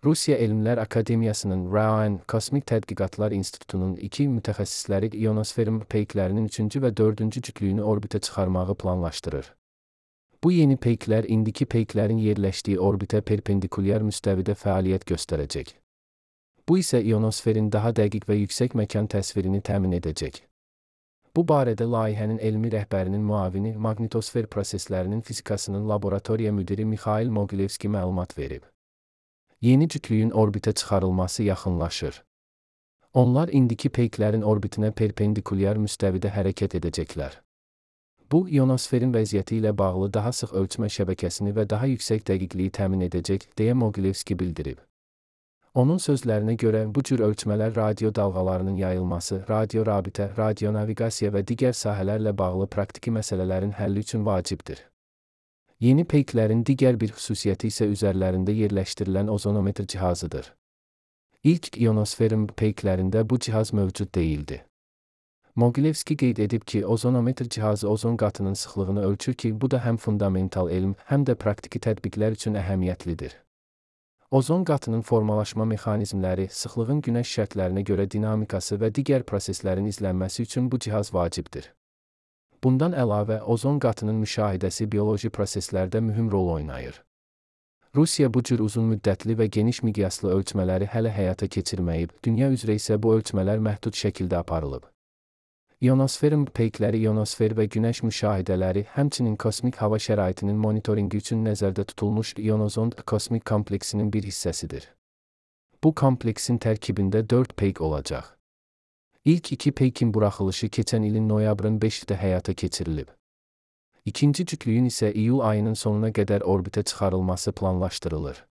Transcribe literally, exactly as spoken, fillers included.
Rusiya Elmlər Akademiyasının RAAN Kosmik Tədqiqatlar İnstitutunun iki mütəxəssisləri ionosferin peyklərinin üçüncü və dördüncü cütlüyünü orbitə çıxarmağı planlaşdırır. Bu yeni peyklər indiki peyklərin yerləşdiyi orbitə perpendikulyar müstəvidə fəaliyyət göstərəcək. Bu isə ionosferin daha dəqiq və yüksək məkan təsvirini təmin edəcək. Bu barədə layihənin elmi rəhbərinin müavini, maqnitosfer proseslərinin fizikasının laboratoriya müdiri Mikhail Mogilevski məlumat verib. Yeni cütlüyün orbitə çıxarılması yaxınlaşır. Onlar indiki peyklərin orbitinə perpendikulyar müstəvidə hərəkət edəcəklər. Bu, ionosferin vəziyyəti ilə bağlı daha sıx ölçmə şəbəkəsini və daha yüksək dəqiqliyi təmin edəcək, deyə Mogilevski bildirib. Onun sözlərinə görə, bu cür ölçmələr radio dalğalarının yayılması, radio rabitə, radionaviqasiya və digər sahələrlə bağlı praktiki məsələlərin həlli üçün vacibdir. Yeni peyklərin digər bir xüsusiyyəti isə üzərlərində yerləşdirilən ozonometr cihazıdır. İlk ionosferin peyklərində bu cihaz mövcud deyildi. Mogilevski qeyd edib ki, ozonometr cihazı ozon qatının sıxlığını ölçür ki, bu da həm fundamental elm, həm də praktiki tətbiqlər üçün əhəmiyyətlidir. Ozon qatının formalaşma mexanizmləri, sıxlığın günəş şərtlərinə görə dinamikası və digər proseslərin izlənməsi üçün bu cihaz vacibdir. Bundan əlavə, ozon qatının müşahidəsi bioloji proseslərdə mühüm rol oynayır. Rusiya bu cür uzun müddətli və geniş miqyaslı ölçmələri hələ həyata keçirməyib, dünya üzrə isə bu ölçmələr məhdud şəkildə aparılıb. İonosferin peykləri ionosfer və günəş müşahidələri, həmçinin kosmik hava şəraitinin monitoringi üçün nəzərdə tutulmuş ionozond kosmik kompleksinin bir hissəsidir. Bu kompleksin tərkibində dörd peyk olacaq. İlk iki peykin buraxılışı keçən ilin noyabrın beşində həyata keçirilib. İkinci cütlüyün isə iyul ayının sonuna qədər orbitə çıxarılması planlaşdırılır.